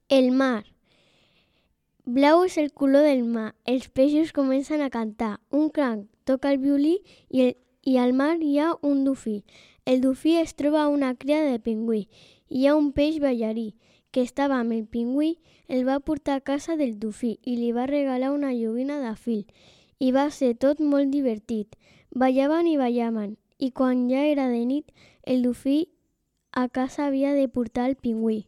El mar. Blau és el color del mar. Els peixos comencen a cantar. Un cranc toca el violí i al mar hi ha un dofí. El dofí es troba a una cria de pingüí. Hi ha un peix ballarí que estava amb el pingüí, el va portar a casa del dofí i li va regalar una joguina de fil. I va ser tot molt divertit. Ballaven i ballaven, i quan ja era de nit, el dofí a casa havia de portar el pingüí.